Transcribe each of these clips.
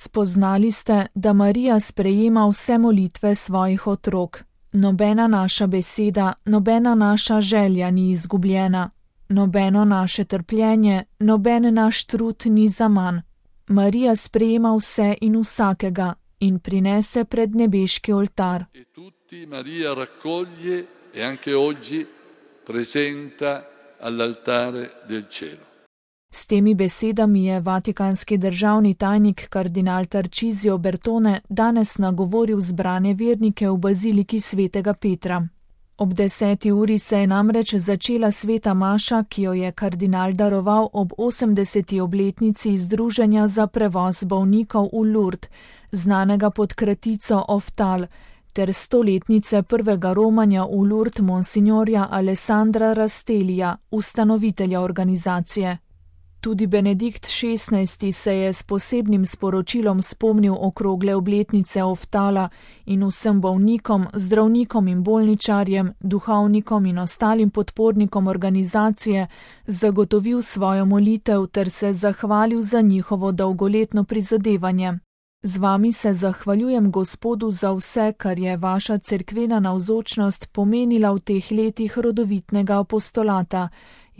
Spoznali ste, da Marija sprejema vse molitve svojih otrok. Nobena naša beseda, nobena naša želja ni izgubljena. Nobeno naše trpljenje, noben naš trud ni zaman. Marija sprejema vse in vsakega in prinese pred nebeški oltar. E tutti Maria raccoglie e anche oggi presenta all'altare del cielo. S temi besedami je vatikanski državni tajnik kardinal Tarcisio Bertone danes nagovoril zbrane vernike v baziliki svetega Petra. Ob 10. uri se je namreč začela sveta maša, ki jo je kardinal daroval ob 80. obletnici Združenja za prevoz bolnikov v Lourdes, znanega pod kratico Oftal, ter 100-letnice prvega romanja v Lourdes monsignorja Alessandra Rastelija, ustanovitelja organizacije. Tudi Benedikt XVI se je s posebnim sporočilom spomnil okrogle obletnice Oftala in vsem bolnikom, zdravnikom in bolničarjem, duhovnikom in ostalim podpornikom organizacije zagotovil svojo molitev ter se zahvalil za njihovo dolgoletno prizadevanje. Z vami se zahvaljujem Gospodu za vse, kar je vaša cerkvena navzočnost pomenila v teh letih rodovitnega apostolata,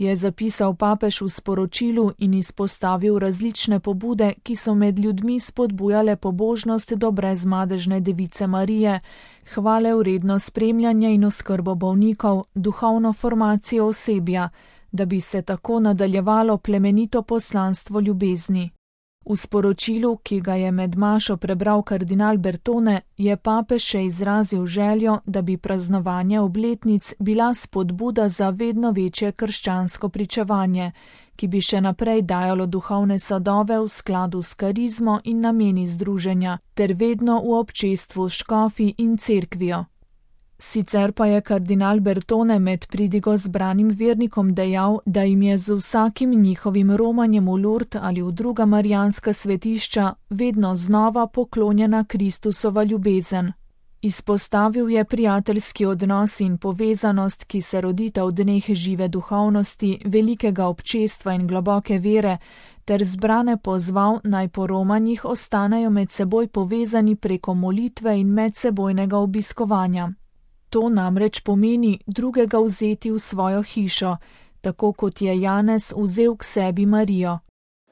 je zapisal papež v sporočilu in izpostavil različne pobude, ki so med ljudmi spodbujale pobožnost do brezmadežne device Marije, hvale vredno spremljanje in oskrbo bolnikov, duhovno formacijo osebja, da bi se tako nadaljevalo plemenito poslanstvo ljubezni. V sporočilu, ki ga je med mašo prebral kardinal Bertone, je papež še izrazil željo, da bi praznovanje obletnic bila spodbuda za vedno večje krščansko pričevanje, ki bi še naprej dajalo duhovne sadove v skladu s karizmo in nameni združenja, ter vedno v občestvu s škofi in cerkvijo. Sicer pa je kardinal Bertone med pridigo zbranim vernikom dejal, da jim je z vsakim njihovim romanjem v Lourdes ali v druga marijanska svetišča vedno znova poklonjena Kristusova ljubezen. Izpostavil je prijateljski odnos in povezanost, ki se rodita v dneh žive duhovnosti, velikega občestva in globoke vere, ter zbrane pozval, naj po romanjih ostanejo med seboj povezani preko molitve in medsebojnega obiskovanja. To namreč pomeni drugega vzeti v svojo hišo, tako kot je Janez vzel k sebi Marijo.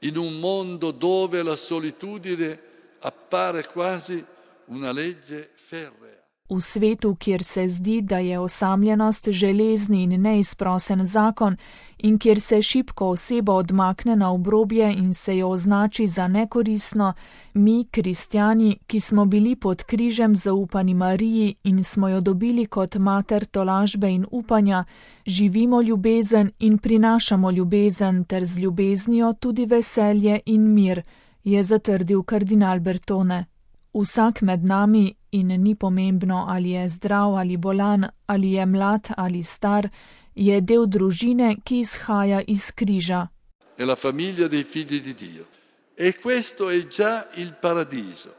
In un mondo dove la solitudine appare quasi una legge ferrea. V svetu, kjer se zdi, da je osamljenost železni in neizprosen zakon in kjer se šibko osebo odmakne na obrobje in se jo označi za nekoristno, mi, kristjani, ki smo bili pod križem zaupani Mariji in smo jo dobili kot mater tolažbe in upanja, živimo ljubezen in prinašamo ljubezen ter z ljubeznijo tudi veselje in mir, je zatrdil kardinal Bertone. Vsak med nami, in ni pomembno, ali je zdrav ali bolan, ali je mlad ali star, je del družine, ki izhaja iz križa. È la famiglia dei figli di Dio. E questo è già il paradiso.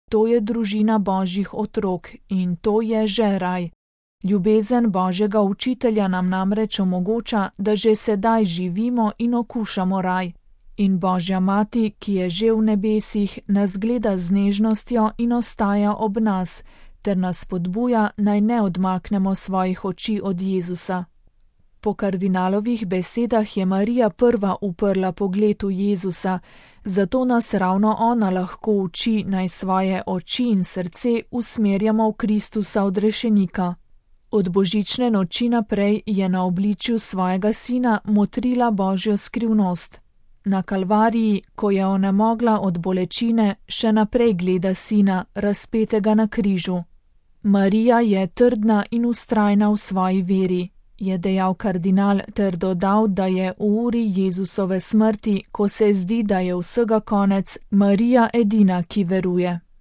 To je družina Božjih otrok in to je že raj. Ljubezen Božjega učitelja nam namreč omogoča, da že sedaj živimo in okušamo raj. In Božja mati, ki je že v nebesih, nas gleda z nežnostjo in ostaja ob nas, ter nas spodbuja, naj ne odmaknemo svojih oči od Jezusa. Po kardinalovih besedah je Marija prva uprla pogled v Jezusa, zato nas ravno ona lahko uči, naj svoje oči in srce usmerjamo v Kristusa odrešenika. Od božične noči naprej je na obličju svojega sina motrila Božjo skrivnost. Na Kalvariji, ko je onemogla od bolečine, še naprej gleda sina, razpetega na križu. Marija je trdna in vztrajna v svoji veri, je dejal kardinal ter dodal, da je v uri Jezusove smrti, ko se zdi, da je vsega konec, Marija edina, ki veruje.